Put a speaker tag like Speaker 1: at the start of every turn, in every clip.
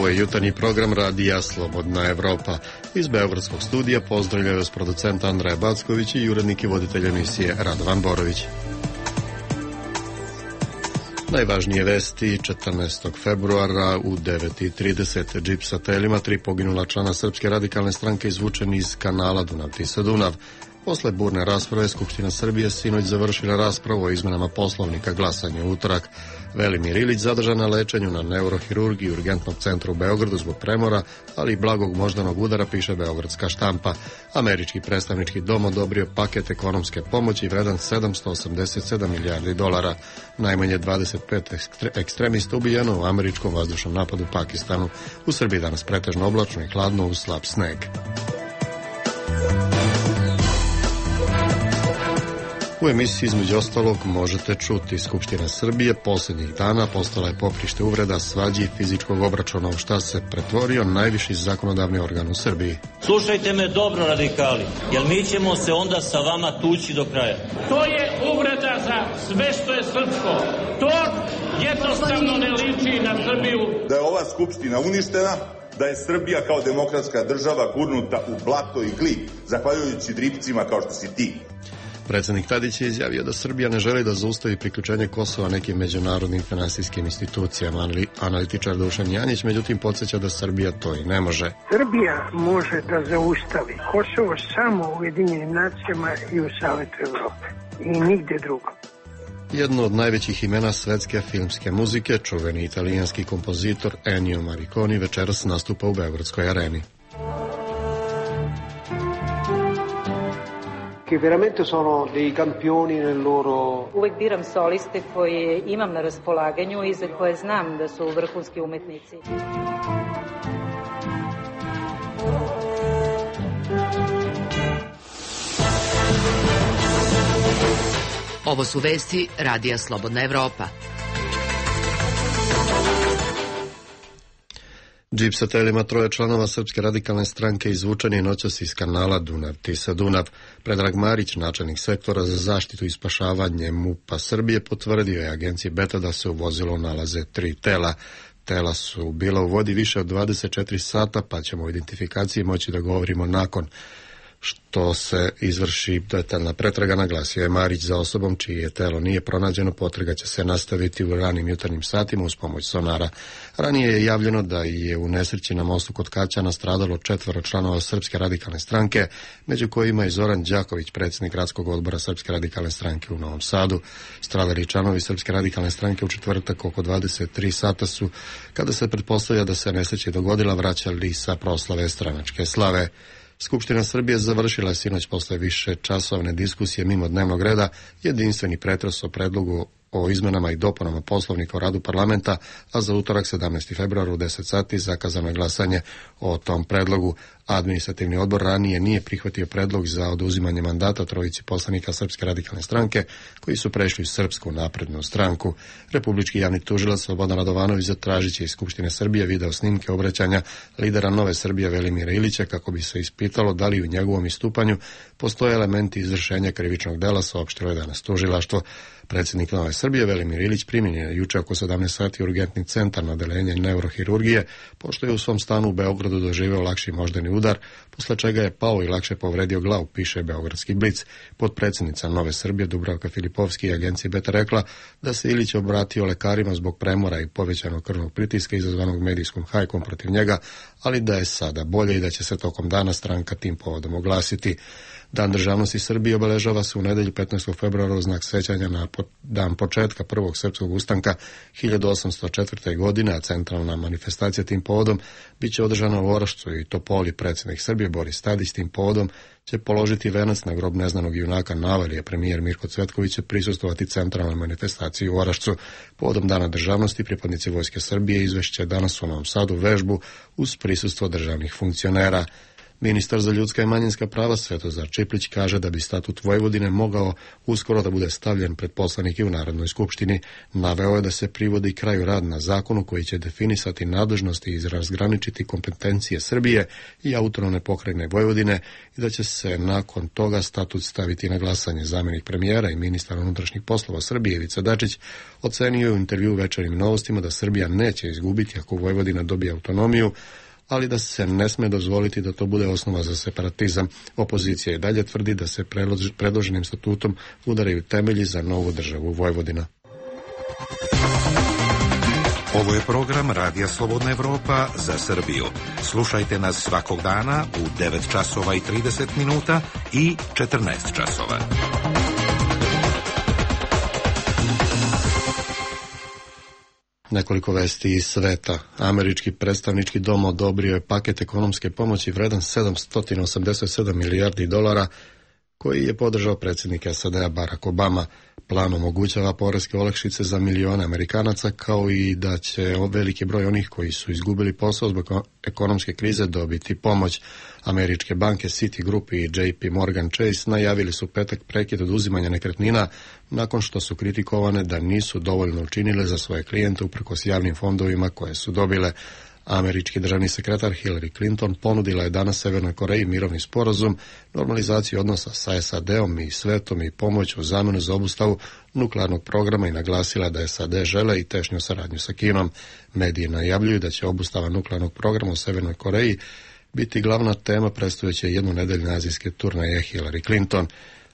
Speaker 1: Ovo je jutarnji program radija Slobodna Evropa. Iz beogradskog studija pozdravljaju vas producent Andreja Backović i urednik i voditelj emisije Radovan Borović. Najvažnije vesti 14. februara u 9:30. Džip sa telima, 3 poginula člana Srpske radikalne stranke izvučeni iz kanala Dunav-Tisa-Dunav. Posle burne rasprave, Skupština Srbije sinoć završila raspravu o izmenama Poslovnika, glasanje u utorak. Velimir Ilić zadržan na lečenju na neurohirurgiji Urgentnog centra u Beogradu zbog premora, ali i blagog moždanog udara, piše beogradska štampa. Američki predstavnički dom odobrio paket ekonomske pomoći vredan $787 milijardi. Najmanje 25 ekstremista ubijeno u američkom vazdušnom napadu u Pakistanu. U Srbiji danas pretežno oblačno i hladno uz slab sneg. U emisiji između ostalog možete čuti: Skupština Srbije posljednjih dana postala je poprište uvreda, svađi i fizičkog obračuna, u šta se pretvorio najviši zakonodavni organ u Srbiji.
Speaker 2: Slušajte me dobro, radikali, jer mi ćemo se onda sa vama tući do kraja.
Speaker 3: To je uvreda za sve što je srpsko. To jednostavno ne liči na Srbiju.
Speaker 4: Da je ova Skupština uništena, da je Srbija kao demokratska država gurnuta u blato i glib, zahvaljujući dripcima kao što si ti.
Speaker 1: Predsjednik Tadić je izjavio da Srbija ne želi da zaustavi priključenje Kosova nekim međunarodnim finansijskim institucijama. Analitičar Dušan Janjić međutim podsjeća da Srbija to i ne može.
Speaker 5: Srbija može da zaustavi Kosovo samo u Ujedinjenim nacijama i u Savetu Evrope i nigde drugo.
Speaker 1: Jedno od najvećih imena svetske filmske muzike, čuveni italijanski kompozitor Ennio Morricone, večeras nastupa u Beogradskoj areni.
Speaker 6: Che veramente sono dei campioni nel loro...
Speaker 7: Uvek biram soliste koje imam na raspolaganju i za koje znam da su vrhunski umetnici.
Speaker 8: Ovo su vesti radija Slobodna Evropa.
Speaker 1: Džip sa telima, 3 članova Srpske radikalne stranke izvučen je noćas iz kanala Dunav-Tisa-Dunav. Predrag Marić, načelnik sektora za zaštitu i spašavanje MUP-a Srbije, potvrdio je agenciji Beta da se u vozilu nalaze 3 tela. Tela su bila u vodi više od 24 sata, pa ćemo o identifikaciji moći da govorimo nakon što se izvrši detaljna pretraga, naglasio je Marić. Za osobom čije telo nije pronađeno, potraga će se nastaviti u ranim jutarnjim satima uz pomoć sonara. Ranije je javljeno da je u nesreći na mostu kod Kaćana stradalo 4 članova Srpske radikalne stranke, među kojima i Zoran Đaković, predsjednik gradskog odbora Srpske radikalne stranke u Novom Sadu. Stradali članovi Srpske radikalne stranke u četvrtak oko 23 sata su, kada se pretpostavlja da se nesreća dogodila, vraćali sa proslave stranačke slave. Skupština Srbije završila je sinoć posle više časovne diskusije mimo dnevnog reda jedinstveni pretres o predlogu o izmenama i dopunama Poslovnika o radu parlamenta, a za utorak 17. februar u 10 sati zakazano je glasanje o tom predlogu. Administrativni odbor ranije nije prihvatio predlog za oduzimanje mandata 3 poslanika Srpske radikalne stranke koji su prešli u Srpsku naprednu stranku. Republički javni tužilac Slobodan Radovanović zatražit će iz Skupštine Srbije video snimke obraćanja lidera Nove Srbije Velimira Ilića kako bi se ispitalo da li u njegovom istupanju postoje elementi izvršenja krivičnog dela, saopštilo je danas tužilaštvo. Predsjednik Nove Srbije Velimir Ilić primljen je juče oko 17 sati u Urgentni centar na odeljenje neurohirurgije, pošto je u svom stanu u Beogradu doživeo lakši moždani udar, posle čega je pao i lakše povredio glavu, piše Beogradski Blic. Potpredsjednica Nove Srbije Dubravka Filipovski i agenciji Beta rekla da se Ilić obratio lekarima zbog premora i povećanog krvnog pritiska izazvanog medijskom hajkom protiv njega, ali da je sada bolje i da će se tokom dana stranka tim povodom oglasiti. Dan državnosti Srbije obeležava se u nedelju 15. februara u znak sećanja na dan početka prvog srpskog ustanka 1804. godine, a centralna manifestacija tim povodom bit će održana u Orašcu i Topoli. Predsjednik Srbije Boris Tadić tim povodom će položiti venac na grob neznanog junaka Navalija. Premijer Mirko Cvetković će prisustvovati centralnoj manifestaciji u Orašcu. Povodom dana državnosti pripadnici Vojske Srbije izvešće danas u Novom Sadu vežbu uz prisustvo državnih funkcionera. Ministar za ljudska i manjinska prava Svetozar Čiplić kaže da bi statut Vojvodine mogao uskoro da bude stavljen pred poslanike u Narodnoj skupštini. Naveo je da se privodi kraju rad na zakonu koji će definisati nadležnosti i razgraničiti kompetencije Srbije i autonomne pokrajine Vojvodine i da će se nakon toga statut staviti na glasanje. Zamjenik premijera i ministar unutrašnjih poslova Srbije Ivica Dačić ocenio je u intervju Večernjim novostima da Srbija neće izgubiti ako Vojvodina dobije autonomiju, ali da se ne sme dozvoliti da to bude osnova za separatizam. Opozicija i dalje tvrdi da se predloženim statutom udaraju temelji za novu državu Vojvodina.
Speaker 9: Ovo je program Radija Slobodna Evropa za Srbiju. Slušajte nas svakog dana u 9 časova i 30 minuta i 14 časova.
Speaker 1: Nekoliko vesti iz sveta. Američki predstavnički dom odobrio je paket ekonomske pomoći vredan $787 milijardi koji je podržao predsjednik SAD-a Barack Obama. Plan omogućava poreske olakšice za milione Amerikanaca, kao i da će veliki broj onih koji su izgubili posao zbog ekonomske krize dobiti pomoć. Američke banke Citigroup i JP Morgan Chase najavili su petak prekid oduzimanja nekretnina nakon što su kritikovane da nisu dovoljno učinile za svoje klijente uprkos javnim fondovima koje su dobile. Američki državni sekretar Hillary Clinton ponudila je danas Severnoj Koreji mirovni sporazum, normalizaciju odnosa sa SAD-om i svetom i pomoć u zamenu za obustavu nuklearnog programa i naglasila da SAD žele i tešnju saradnju sa Kinom. Mediji najavljuju da će obustava nuklearnog programa u Severnoj Koreji biti glavna tema predstojeće jednonedeljne azijske turneje Hillary Clinton.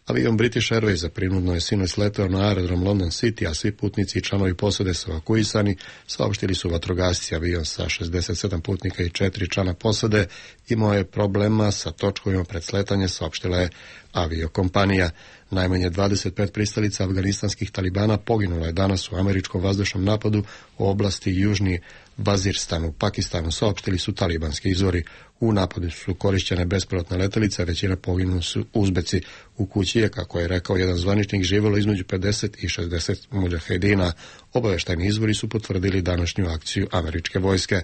Speaker 1: Avion British Airways prinudno je sinoć sleteo na aerodrom London City, a svi putnici i članovi posade su evakuisani, saopštili su vatrogasci. Avion sa 67 putnika i 4 člana posade imao je problema sa točkovima pred sletanje, saopštila je aviokompanija. Najmanje 25 pristalica afganistanskih talibana poginulo je danas u američkom vazdušnom napadu u oblasti Južni Vaziristan u Pakistanu, saopštili su talibanski izvori. U napadu su korišćene bespilotne letelice, a većina poginuli su Uzbeci. U kući je, kako je rekao jedan zvaničnik, živjelo između 50 i 60 mudžahedina. Obaveštajni izvori su potvrdili današnju akciju američke vojske,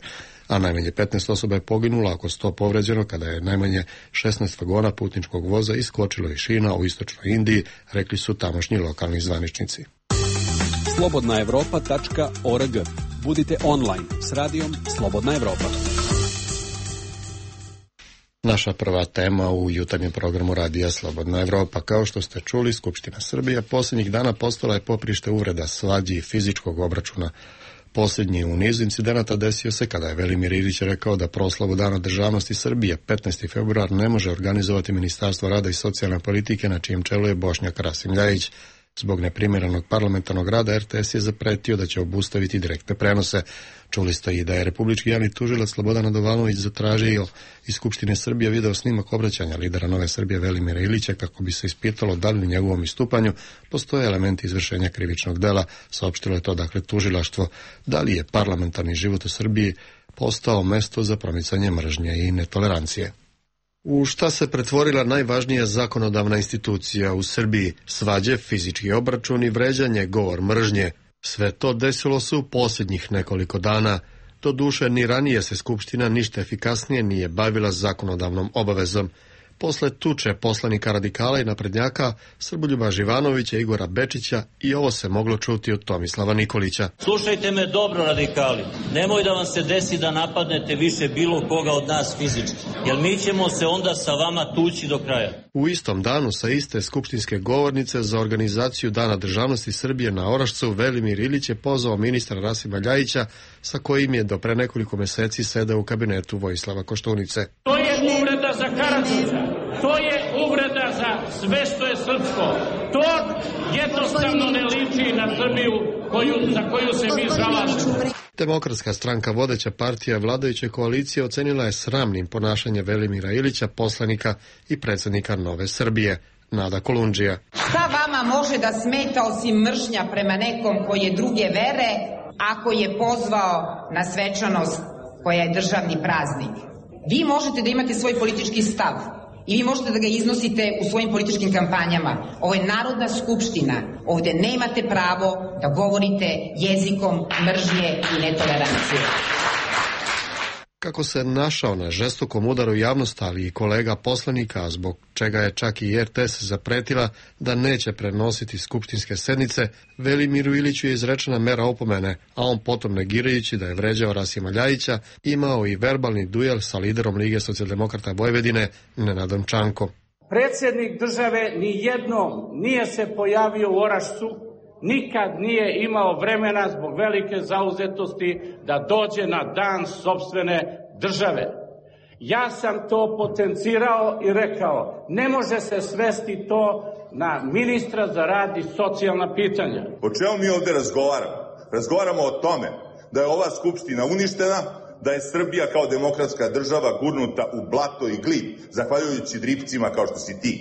Speaker 1: a najmanje 15 osoba je poginulo, oko 100 povređeno kada je najmanje 16 vagona putničkog voza iskočilo iz šina u istočnoj Indiji, rekli su tamošnji lokalni zvaničnici.
Speaker 10: slobodnaevropa.org. Budite online s radijom Slobodna Evropa.
Speaker 1: Naša prva tema u jutarnjem programu Radija Slobodna Evropa. Kao što ste čuli, Skupština Srbije posljednjih dana postala je poprište uvreda, svađi i fizičkog obračuna. Posljednji u nizu incidenata desio se kada je Velimir Ilić rekao da proslavu Dana državnosti Srbije 15. februar ne može organizovati Ministarstvo rada i socijalne politike na čijem čelu je Bošnjak Rasim Ljajić. Zbog neprimjerenog parlamentarnog rada RTS je zapretio da će obustaviti direktne prenose. Čuli ste i da je republički javni tužilac Slobodan Radovanović zatražio iz Skupštine Srbije video snimak obraćanja lidera Nove Srbije Velimira Ilića kako bi se ispitalo da li u njegovom istupanju postoje elementi izvršenja krivičnog dela. Saopštilo je to dakle tužilaštvo. Da li je parlamentarni život u Srbiji postao mesto za promicanje mržnje i netolerancije? U šta se pretvorila najvažnija zakonodavna institucija u Srbiji? Svađe, fizički obračun i vređanje, govor mržnje. Sve to desilo se u posljednjih nekoliko dana. Doduše, ni ranije se Skupština ništa efikasnije nije bavila zakonodavnom obavezom. Posle tuče poslanika radikala i naprednjaka Srboljuba Živanovića i Igora Bečića i ovo se moglo čuti od Tomislava Nikolića.
Speaker 2: Slušajte me dobro, radikali. Nemoj da vam se desi da napadnete više bilo koga od nas fizički, jer mi ćemo se onda sa vama tući do kraja.
Speaker 1: U istom danu sa iste skupštinske govornice za organizaciju Dana državnosti Srbije na Orašcu Velimir Ilić je pozvao ministra Rasima Ljajića sa kojim je do pre nekoliko meseci sedeo u kabinetu Vojislava Koštunice.
Speaker 3: To je uvreda za Karađorđa, to je uvreda za sve što je srpsko. To jednostavno ne liči na Srbiju za koju se mi zalažemo.
Speaker 1: Demokratska stranka, vodeća partija vladajuće koalicije, ocenila je sramnim ponašanje Velimira Ilića, poslanika i predsjednika Nove Srbije. Nada Kolundžija.
Speaker 11: Šta vama može da smeta osim mržnja prema nekom koji je druge vere, ako je pozvao na svečanost koja je državni praznik? Vi možete da imate svoj politički stav i vi možete da ga iznosite u svojim političkim kampanjama. Ovo je Narodna skupština. Ovde nemate pravo da govorite jezikom mržnje i netolerancije.
Speaker 1: Kako se našao na žestokom udaru javnosti, ali i kolega poslanika, zbog čega je čak i RTS zapretila da neće prenositi skupštinske sednice, Velimiru Iliću je izrečena mera opomene, a on potom, negirajući da je vređao Rasima Ljajića, imao i verbalni duel sa liderom Lige socijaldemokrata Vojvodine, Nenadom Čankom.
Speaker 3: Predsjednik države ni jednom nije se pojavio u Orašcu, nikad nije imao vremena zbog velike zauzetosti da dođe na dan sopstvene države. Ja sam to potencirao i rekao, ne može se svesti to na ministra za rad i socijalna pitanja.
Speaker 4: O čemu mi ovde razgovaramo? Razgovaramo o tome da je ova skupština uništena, da je Srbija kao demokratska država gurnuta u blato i glib, zahvaljujući dripcima kao što si ti.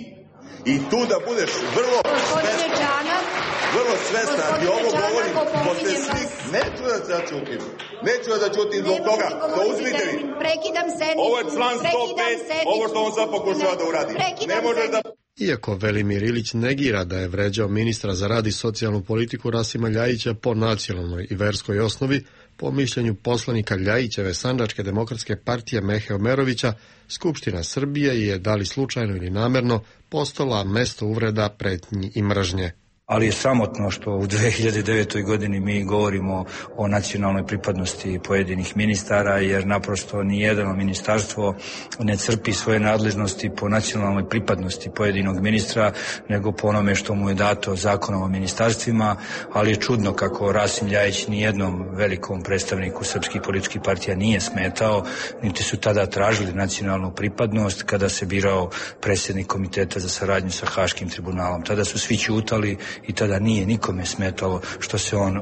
Speaker 4: I tu da budeš vrlo svestan, i ovo govorim, posle svih, neću da se čutim, zbog toga, to uzmite mi. Ovo je član 105, ovo što on sad pokušava da uradi. Ne može da...
Speaker 1: Iako Velimir Ilić negira da je vređao ministra za rad i socijalnu politiku Rasima Ljajića po nacionalnoj i verskoj osnovi, po mišljenju poslanika Ljajićeve Sandžačke demokratske partije Mehe Omerovića, Skupština Srbije je, da li slučajno ili namerno, postala mesto uvreda, pretnji i mržnje.
Speaker 12: Ali je sramotno što u 2009. godini mi govorimo o nacionalnoj pripadnosti pojedinih ministara, jer naprosto nijedno ministarstvo ne crpi svoje nadležnosti po nacionalnoj pripadnosti pojedinog ministra, nego po onome što mu je dato zakonom o ministarstvima, ali je čudno kako Rasim Ljajić nijednom velikom predstavniku srpskih političkih partija nije smetao, niti su tada tražili nacionalnu pripadnost kada se birao predsjednik komiteta za saradnju sa Haškim tribunalom. Tada su svi ćutali i tada nije nikome smetalo što se on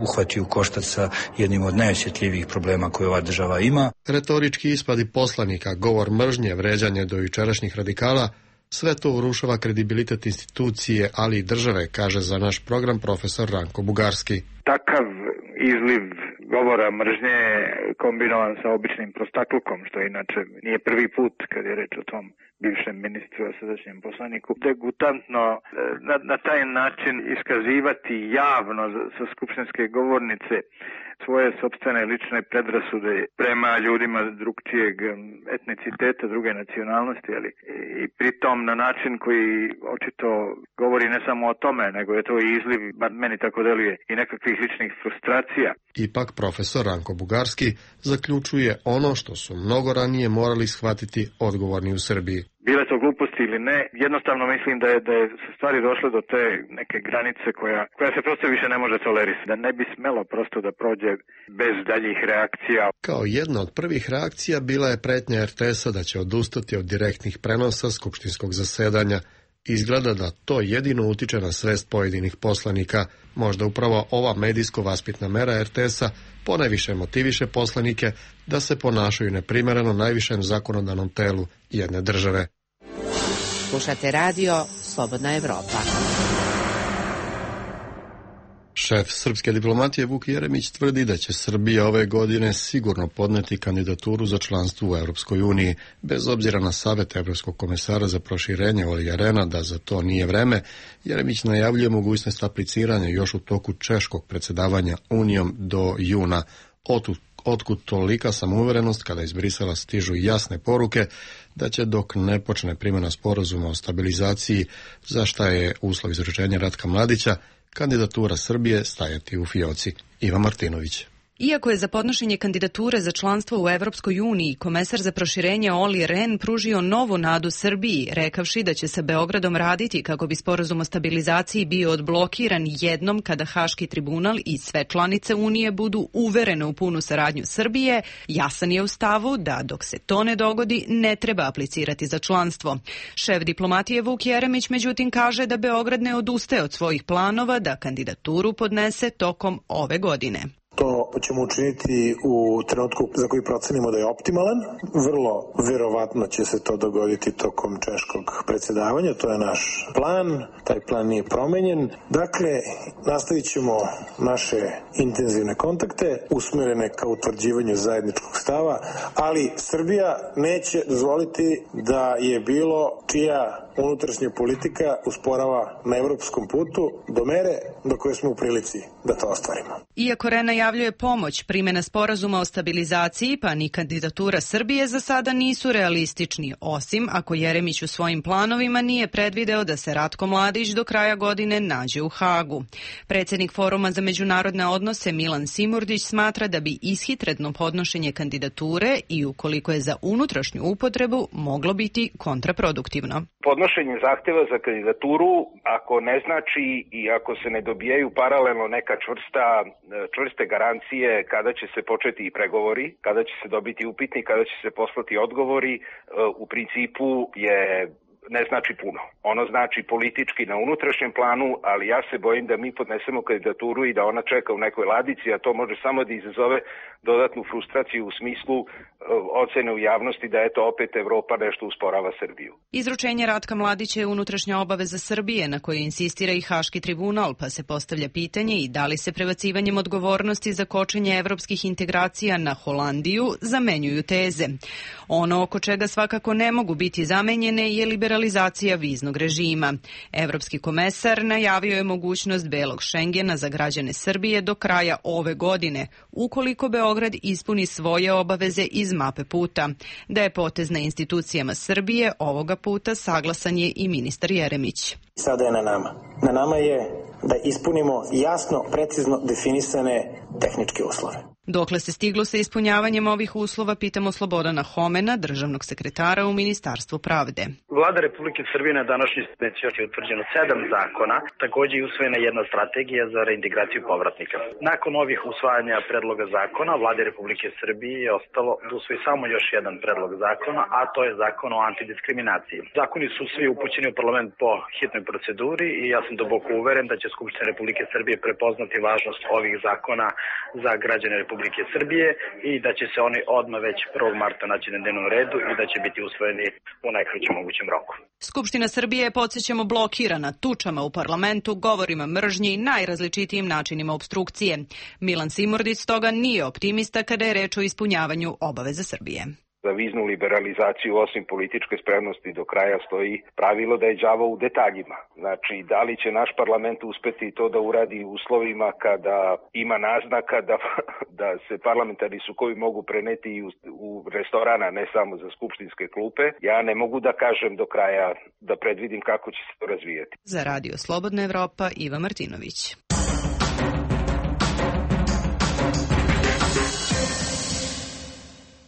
Speaker 12: uhvatio u koštac sa jednim od najosjetljivijih problema koje ova država ima.
Speaker 1: Retorički ispadi poslanika, govor mržnje, vređanje do jučerašnjih radikala, sve to urušava kredibilitet institucije, ali i države, kaže za naš program profesor Ranko Bugarski.
Speaker 13: Takav izliv govora mržnje kombinovan sa običnim prostaklukom, što inače nije prvi put kad je reč o tom bivšem ministru, a sadašnjem poslaniku, degutantno na taj način iskazivati javno sa skupštinske govornice svoje sopstvene lične predrasude prema ljudima drugčijeg etniciteta, druge nacionalnosti, ali i pritom na način koji očito govori ne samo o tome, nego je to i izliv, bar meni tako deluje, i nekakvih ličnih frustracija.
Speaker 1: Ipak profesor Ranko Bugarski zaključuje ono što su mnogo ranije morali shvatiti odgovorni u Srbiji.
Speaker 13: Bile to gluposti ili ne, jednostavno mislim da je stvari došle do te neke granice koja se prosto više ne može tolerisati. Da ne bi smelo prosto da prođe bez daljih reakcija.
Speaker 1: Kao jedna od prvih reakcija bila je pretnja RTS-a da će odustati od direktnih prenosa skupštinskog zasedanja. Izgleda da to jedino utiče na svest pojedinih poslanika. Možda upravo ova medijsko-vaspitna mera RTS-a ponajviše motiviše poslanike da se ponašaju neprimereno najvišem zakonodavnom telu jedne države.
Speaker 8: Slušate radio Slobodna Evropa.
Speaker 1: Šef srpske diplomatije Vuk Jeremić tvrdi da će Srbija ove godine sigurno podneti kandidaturu za članstvo u Europskoj uniji. Bez obzira na savjet Evropskog komesara za proširenje Olija Rehna da za to nije vreme, Jeremić najavljuje mogućnost apliciranja još u toku češkog predsjedavanja Unijom do juna. Otkud tolika samouverenost kada iz Brisela stižu jasne poruke da će dok ne počne primjena sporazuma o stabilizaciji, za šta je uslov izručenja Ratka Mladića, kandidatura Srbije stajati u fioci. Iva Martinović.
Speaker 14: Iako je za podnošenje kandidature za članstvo u Evropskoj uniji komesar za proširenje Olli Rehn pružio novu nadu Srbiji, rekavši da će sa Beogradom raditi kako bi sporazum o stabilizaciji bio odblokiran jednom kada Haški tribunal i sve članice Unije budu uverene u punu saradnju Srbije, jasan je u stavu da dok se to ne dogodi ne treba aplicirati za članstvo. Šef diplomatije Vuk Jeremić međutim kaže da Beograd ne odustaje od svojih planova da kandidaturu podnese tokom ove godine.
Speaker 15: To ćemo učiniti u trenutku za koji procenimo da je optimalan. Vrlo verovatno će se to dogoditi tokom češkog predsjedavanja. To je naš plan. Taj plan nije promenjen. Dakle, nastavit ćemo naše intenzivne kontakte usmjerene ka utvrđivanju zajedničkog stava, ali Srbija neće dozvoliti da je bilo čija unutrašnja politika usporava na evropskom putu do mere do koje smo u prilici da to ostvarimo.
Speaker 14: Iako Rehn najavljuje najavljuje pomoć, primjena sporazuma o stabilizaciji pa ni kandidatura Srbije za sada nisu realistični, osim ako Jeremić u svojim planovima nije predvideo da se Ratko Mladić do kraja godine nađe u Hagu. Predsjednik Foruma za međunarodne odnose Milan Simurdić smatra da bi ishitredno podnošenje kandidature i ukoliko je za unutrašnju upotrebu moglo biti kontraproduktivno.
Speaker 16: Podnošenje zahtjeva za kandidaturu, ako ne znači i ako se ne dobijaju paralelno neka čvrste garancije kada će se početi i pregovori, kada će se dobiti upitnik, kada će se poslati odgovori, u principu ne znači puno. Ono znači politički na unutrašnjem planu, ali ja se bojim da mi podnesemo kandidaturu i da ona čeka u nekoj ladici, a to može samo da izazove dodatnu frustraciju u smislu ocene u javnosti da eto opet Evropa nešto usporava Srbiju.
Speaker 14: Izručenje Ratka Mladića je unutrašnja obaveza Srbije na kojoj insistira i Haški tribunal, pa se postavlja pitanje i da li se prebacivanjem odgovornosti za kočenje evropskih integracija na Holandiju zamenjuju teze. Ono oko čega svakako ne mogu biti zamenjene je liberalizacija viznog režima. Evropski komesar najavio je mogućnost belog Šengena za građane Srbije do kraja ove godine, ukoliko Beograd ispuni svoje obaveze iz mape puta. Da je potez na institucijama Srbije ovoga puta saglasan je i ministar Jeremić.
Speaker 15: Sada je na nama. Na nama je da ispunimo jasno, precizno definisane tehničke uslove.
Speaker 14: Dokle se stiglo sa ispunjavanjem ovih uslova, pitamo Slobodana Homena, državnog sekretara u Ministarstvu pravde.
Speaker 17: Vlada Republike Srbije na današnjoj sednici je utvrđeno 7 zakona, također je usvojena jedna strategija za reintegraciju povratnika. Nakon ovih usvajanja predloga zakona, Vlade Republike Srbije je ostalo da usvoji samo još jedan predlog zakona, a to je zakon o antidiskriminaciji. Zakoni su svi upućeni u parlament po hitnoj proceduri i ja sam duboko uveren da će Skupština Republike Srbije prepoznati važnost ovih zakona za građane Republike Srbije i da će se oni odmah već 1. marta naći na dnevnom redu i da će biti usvojeni u najkraćem mogućem roku.
Speaker 14: Skupština Srbije je, podsjećamo, blokirana tučama u parlamentu, govorima mržnje i najrazličitijim načinima opstrukcije. Milan Simurdić stoga nije optimista kada je reč o ispunjavanju obaveza Srbije.
Speaker 16: Za viznu liberalizaciju osim političke spremnosti do kraja stoji pravilo da je đavo u detaljima. Znači, da li će naš parlament uspeti to da uradi u uslovima kada ima naznaka da se parlamentarni sukovi mogu preneti u restorana, ne samo za skupštinske klupe. Ja ne mogu da kažem do kraja, da predvidim kako će se to razvijati.
Speaker 14: Za Radio Slobodna Evropa, Iva Martinović.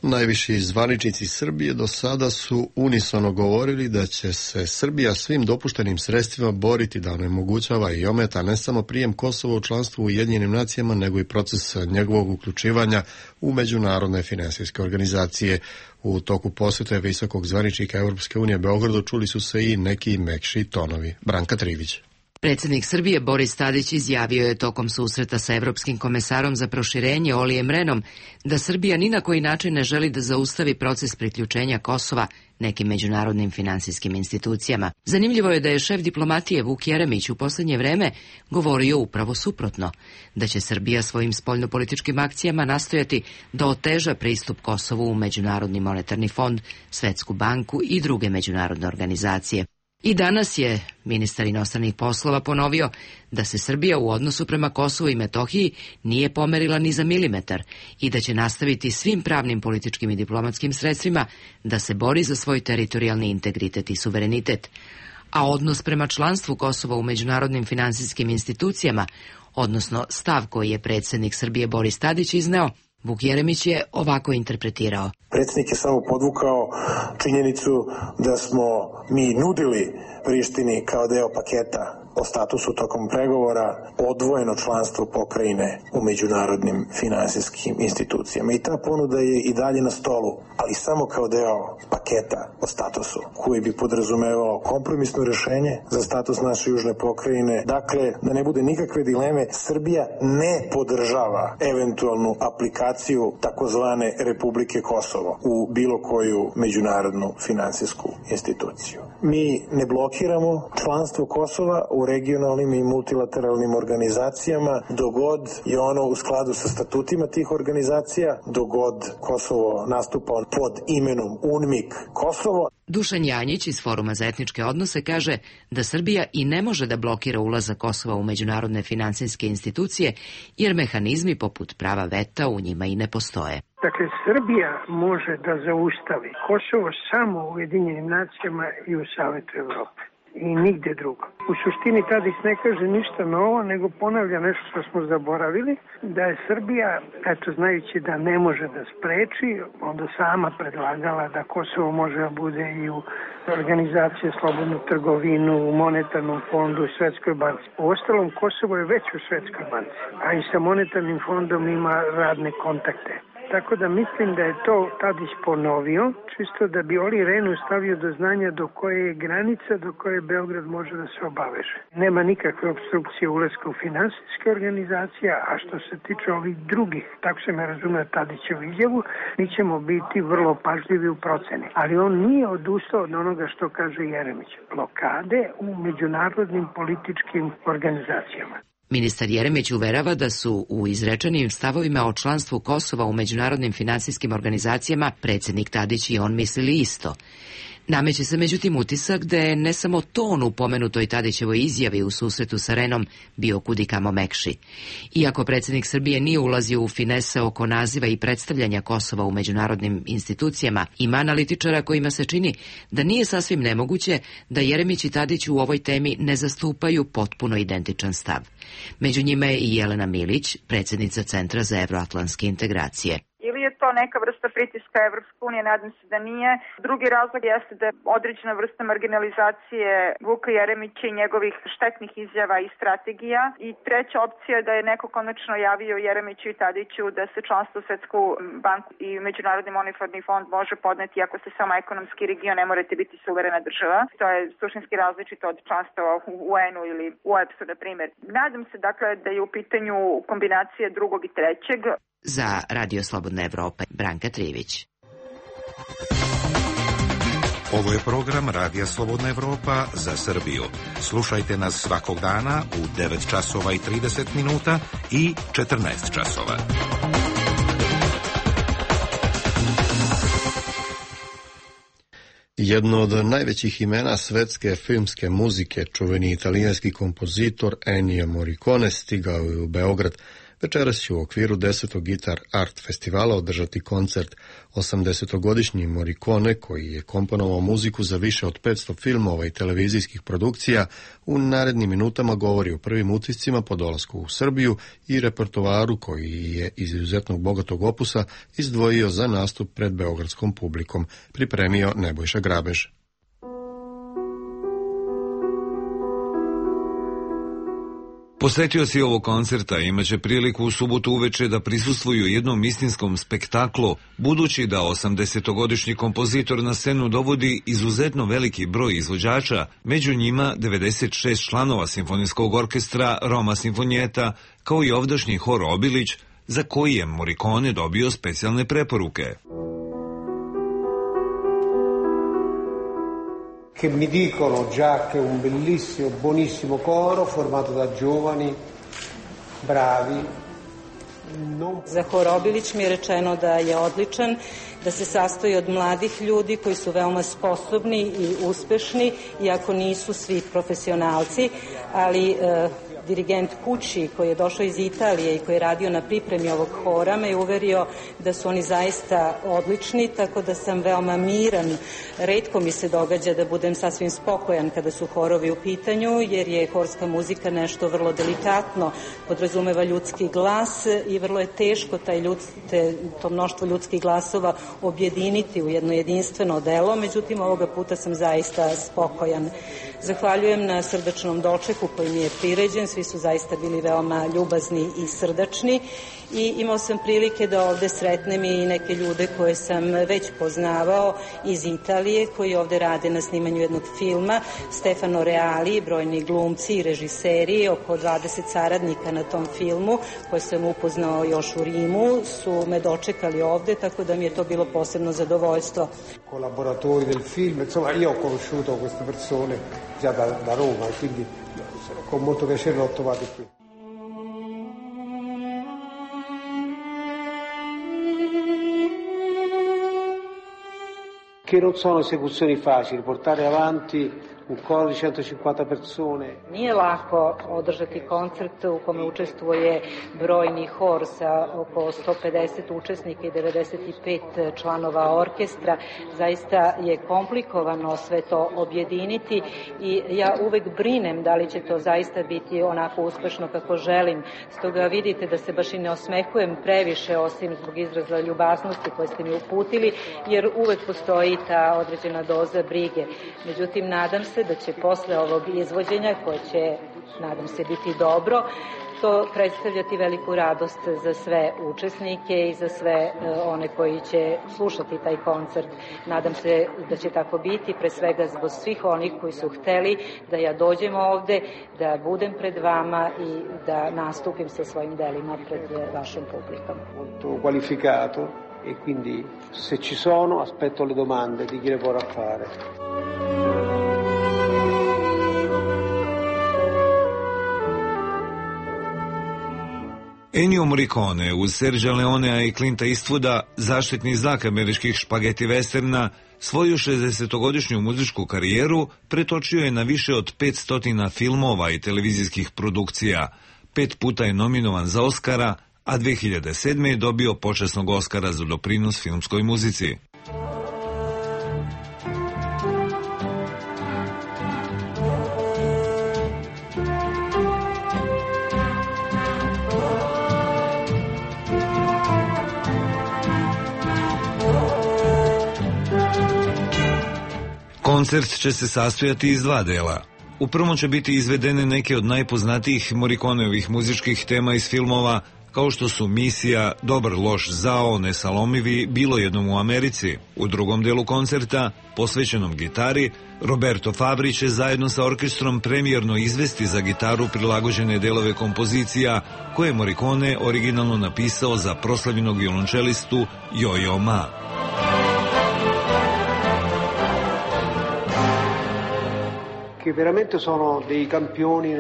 Speaker 1: Najviši zvaničnici Srbije do sada su unisono govorili da će se Srbija svim dopuštenim sredstvima boriti da onemogućava i ometa ne samo prijem Kosova u članstvo u Ujedinjenim nacijama, nego i proces njegovog uključivanja u međunarodne finansijske organizacije. U toku posjete visokog zvaničnika Europske unije Beogradu čuli su se i neki mekši tonovi. Branka Trivić.
Speaker 8: Predsjednik Srbije Boris Tadić izjavio je tokom susreta sa Evropskim komesarom za proširenje Olijem Renom da Srbija ni na koji način ne želi da zaustavi proces priključenja Kosova nekim međunarodnim finansijskim institucijama. Zanimljivo je da je šef diplomatije Vuk Jeremić u posljednje vreme govorio upravo suprotno, da će Srbija svojim spoljnopolitičkim akcijama nastojati da oteža pristup Kosovu u Međunarodni monetarni fond, Svetsku banku i druge međunarodne organizacije. I danas je ministar inostranih poslova ponovio da se Srbija u odnosu prema Kosovu i Metohiji nije pomerila ni za milimetar i da će nastaviti svim pravnim, političkim i diplomatskim sredstvima da se bori za svoj teritorijalni integritet i suverenitet. A odnos prema članstvu Kosova u međunarodnim finansijskim institucijama, odnosno stav koji je predsjednik Srbije Boris Tadić izneo, Vuk Jeremić je ovako interpretirao.
Speaker 15: Predsjednik je samo podvukao činjenicu da smo mi nudili Prištini kao deo paketa o statusu tokom pregovora odvojeno članstvo pokrajine u međunarodnim finansijskim institucijama. I ta ponuda je i dalje na stolu, ali samo kao deo paketa o statusu, koji bi podrazumevao kompromisno rješenje za status naše južne pokrajine. Dakle, da ne bude nikakve dileme, Srbija ne podržava eventualnu aplikaciju takozvane Republike Kosovo u bilo koju međunarodnu finansijsku instituciju. Mi ne blokiramo članstvo Kosova u u regionalnim i multilateralnim organizacijama, dogod je ono u skladu sa statutima tih organizacija, dogod Kosovo nastupa pod imenom UNMIK Kosovo.
Speaker 8: Dušan Janjić iz Foruma za etničke odnose kaže da Srbija i ne može da blokira ulazak Kosova u međunarodne finansijske institucije, jer mehanizmi poput prava veta u njima i ne postoje.
Speaker 5: Dakle, Srbija može da zaustavi Kosovo samo u Ujedinjenim nacijama i u Savetu Evrope. I nigde drugo. U suštini Tadić ne kaže ništa novo, nego ponavlja nešto što smo zaboravili, da je Srbija, eto, znajući da ne može da spreči, onda sama predlagala da Kosovo može da bude i u organizaciji slobodnu trgovinu, u monetarnom fondu, u Svetskoj banci. U ostalom, Kosovo je već u Svetskoj banci, a i sa monetarnim fondom ima radne kontakte. Tako da mislim da je to Tadić ponovio, čisto da bi Oli Rehnu stavio do znanja do koje je granica, do koje Beograd može da se obaveže. Nema nikakve obstrukcije ulaska u finansijske organizacije, a što se tiče ovih drugih, tako se me razumije Tadićevu izjavu, mi ćemo biti vrlo pažljivi u proceni. Ali on nije odustao od onoga što kaže Jeremić. Blokade u međunarodnim političkim organizacijama.
Speaker 8: Ministar Jeremić uverava da su u izrečenim stavovima o članstvu Kosova u međunarodnim finansijskim organizacijama predsjednik Tadić i on mislili isto. Nameće se međutim utisak da je ne samo ton u pomenutoj Tadićevoj izjavi u susretu sa Rehnom bio kudikamo mekši. Iako predsjednik Srbije nije ulazio u finese oko naziva i predstavljanja Kosova u međunarodnim institucijama, ima analitičara kojima se čini da nije sasvim nemoguće da Jeremić i Tadić u ovoj temi ne zastupaju potpuno identičan stav. Među njima je i Jelena Milić, predsjednica Centra za evroatlantske integracije.
Speaker 18: Ili je to neka vrsta pritiska Evropske unije, nadam se da nije. Drugi razlog jeste da je određena vrsta marginalizacije Vuka Jeremića i njegovih štetnih izjava i strategija. I treća opcija je da je neko konačno javio Jeremiću i Tadiću da se članstvo u Svetsku banku i Međunarodni monetarni fond može podneti ako ste samo ekonomski region, ne morate biti suverena država. To je suštinski različito od članstva u UN-u ili u OEBS-u, na primjer. Nadam se dakle da je u pitanju kombinacije drugog i trećeg.
Speaker 8: Za Radio Slobodne Evrope, Branka Trivić.
Speaker 9: Ovo je program Radija Slobodna Evropa za Srbiju. Slušajte nas svakog dana u 9 časova i 30 minuta i 14 časova.
Speaker 1: Jedno od najvećih imena svetske filmske muzike, čuveni italijanski kompozitor Ennio Morricone, stigao je u Beograd. Večeras će u okviru 10. Guitar Art festivala održati koncert. 80-godišnji Morricone, koji je komponovao muziku za više od 500 filmova i televizijskih produkcija, u narednim minutama govori o prvim utiscima po dolasku u Srbiju i repertoaru koji je iz izuzetnog bogatog opusa izdvojio za nastup pred beogradskom publikom, pripremio Nebojša Grabež.
Speaker 19: Posetioci ovog koncerta imaće priliku u subotu uveče da prisustvuju jednom istinskom spektaklu, budući da 80-godišnji kompozitor na scenu dovodi izuzetno veliki broj izvođača, među njima 96 članova simfonijskog orkestra Roma Sinfonijeta, kao i ovdašnji hor Obilić, za koji je Morricone dobio specijalne preporuke.
Speaker 6: Che mi dicono già che un bellissimo, buonissimo coro formato da giovani, bravi.
Speaker 7: Za hor Obilić mi je rečeno da je odličan, da se sastoji od mladih ljudi koji su veoma sposobni i uspešni, iako nisu svi profesionalci, ali dirigent Pucci, koji je došao iz Italije i koji je radio na pripremi ovog hora, me je uverio da su oni zaista odlični, tako da sam veoma miran. Retko mi se događa da budem sasvim spokojan kada su horovi u pitanju, jer je horska muzika nešto vrlo delikatno, podrazumeva ljudski glas i vrlo je teško to mnoštvo ljudskih glasova objediniti u jedno jedinstveno delo, međutim ovoga puta sam zaista spokojan. Zahvaljujem na srdačnom dočeku koji mi je priređen, svi su zaista bili veoma ljubazni i srdačni i imao sam prilike da ovde sretnem i neke ljude koje sam već poznavao iz Italije, koji ovde rade na snimanju jednog filma, Stefano Reali, brojni glumci i režiseri, oko 20 saradnika na tom filmu, koje sam upoznao još u Rimu, su me dočekali ovde, tako da mi je to bilo posebno zadovoljstvo.
Speaker 6: Collaboratori del film, insomma io ho conosciuto queste persone già da Roma, quindi con molto piacere l'ho trovato qui. Che non sono esecuzioni facili, portare avanti un coro di 150 persone.
Speaker 7: Nije lako održati koncert u kome učestvuje brojni hor sa oko 150 učesnika i 95 članova orkestra. Zaista je komplikovano sve to objediniti i ja uvek brinem da li će to zaista biti onako uspešno kako želim. Stoga vidite da se baš i ne osmehujem previše, osim zbog izraza ljubaznosti koje ste mi uputili, jer uvek postoji ta određena doza brige. Međutim, nadam se da će posle ovog izvođenja, koje će, nadam se, biti dobro, to predstavljati veliku radost za sve učesnike i za sve one koji će slušati taj koncert. Nadam se da će tako biti, pre svega zbog svih onih koji su hteli da ja dođem ovde, da budem pred vama i da nastupim sa svojim delima pred vašom publikom.
Speaker 6: Molto qualificato e quindi se ci sono aspetto le domande di chi le vorrà fare.
Speaker 19: Ennio Morricone uz Sergea Leonea i Clinta Eastwooda, zaštitni znak američkih špageti westerna, svoju 60-godišnju muzičku karijeru pretočio je na više od 500 filmova i televizijskih produkcija. 5 puta je nominovan za Oskara, a 2007. je dobio počasnog Oskara za doprinos filmskoj muzici. Koncert će se sastojati iz 2 dela. U prvom će biti izvedene neke od najpoznatijih Morriconeovih muzičkih tema iz filmova, kao što su Misija, Dobar, loš, zao, Nesalomivi, Bilo jednom u Americi. U drugom delu koncerta, posvećenom gitari, Roberto Fabri će zajedno sa orkestrom premijerno izvesti za gitaru prilagođene delove kompozicija koje je Morricone originalno napisao za proslavljenog violončelistu Yo-Yo Ma.
Speaker 6: Che veramente sono dei campioni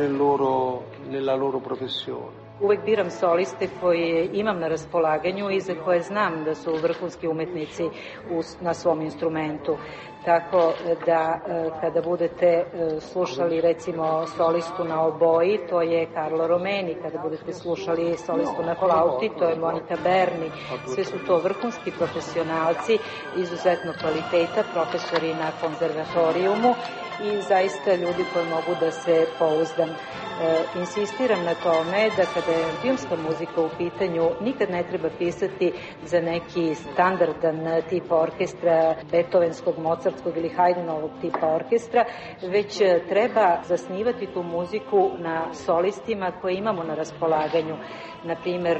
Speaker 6: nella loro professione.
Speaker 7: Uvek biram soliste koje imam na raspolaganju i za koje znam da su vrhunski umetnici na svom instrumentu. Tako da kada budete slušali recimo solistu na oboji, to je Carlo Romeni, kada budete slušali solistu na flauti, to je Monica Berni. Sve su to vrhunski profesionalci, izuzetno kvaliteta, profesori na konzervatorijumu i zaista ljudi koji mogu da se pouzdam. Insistiram na tome da kada je filmska muzika u pitanju nikad ne treba pisati za neki standardan tip orkestra, beethovenskog, mozartskog ili Haydenovog tipa orkestra, već treba zasnivati tu muziku na solistima koje imamo na raspolaganju. Naprimer,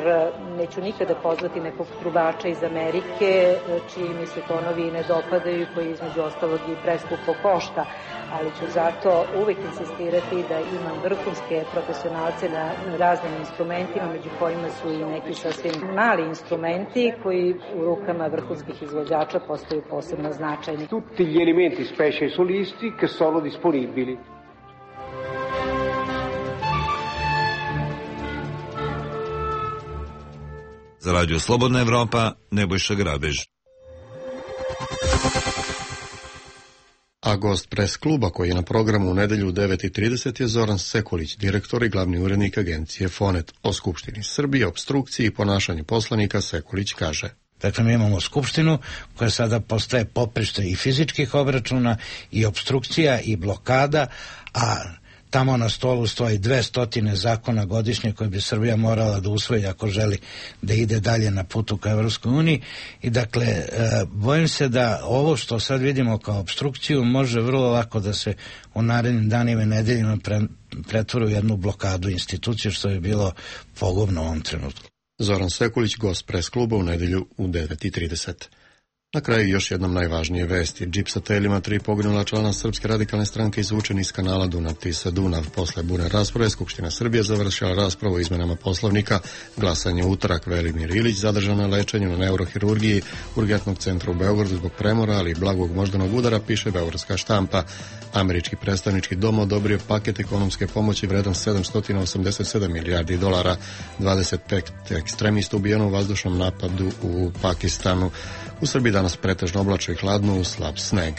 Speaker 7: neću nikada pozvati nekog trubača iz Amerike, čiji mi se tonovi ne dopadaju i koji između ostalog i preskupo košta, ali ću zato uvek insistirati da imam vrhunske profesionalce na raznim instrumentima, među kojima su i neki sasvim mali instrumenti koji u rukama vrhunskih izvođača postaju posebno značajni.
Speaker 6: Tutti gli elementi, specie i solisti, che sono disponibili.
Speaker 19: Za Radio Slobodna Evropa, Nebojša Grabež.
Speaker 1: A gost pres kluba koji je na programu u nedelju u 9:30 je Zoran Sekulić, direktor i glavni urednik agencije Fonet. O Skupštini Srbije, opstrukciji i ponašanju poslanika Sekulić kaže:
Speaker 20: Dakle, mi imamo Skupštinu koja sada postaje poprište i fizičkih obračuna i opstrukcija i blokada, a tamo na stolu stoji 200 zakona godišnje koje bi Srbija morala da usvoji ako želi da ide dalje na putu ka Evropskoj uniji. I dakle, bojim se da ovo što sad vidimo kao opstrukciju može vrlo lako da se u narednim danima i nedeljima pretvori u jednu blokadu institucije, što je bilo pogubno u ovom trenutku.
Speaker 1: Zoran Sekulić, gost pres kluba u nedelju u 9:30. Na kraju još jednom najvažnije vesti. Džip sa telima 3 poginula člana Srpske radikalne stranke izvučeni iz kanala Dunav-Tisa-Dunav. Posle burne rasprave Skupština Srbije završila raspravu o izmenama Poslovnika. Glasanje u utorak. Velimir Ilić zadržan na lečenju na neurohirurgiji Urgentnog centra u Beogradu zbog premora, ali i blagog moždanog udara, piše beogradska štampa. Američki predstavnički dom odobrio paket ekonomske pomoći vredan $787 milijardi. 25 ekstremista ubijeno u vazdušnom napadu u Pakistanu. U Srbiji danas pretežno oblačno i hladno uz slab sneg.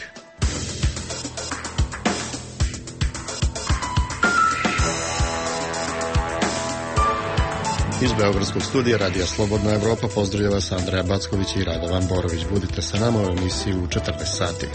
Speaker 1: Iz beogradskog studija Radija Slobodna Evropa pozdravlja vas Andreja Backović i Radovan Borović. Budite sa nama u emisiji u 14 sati.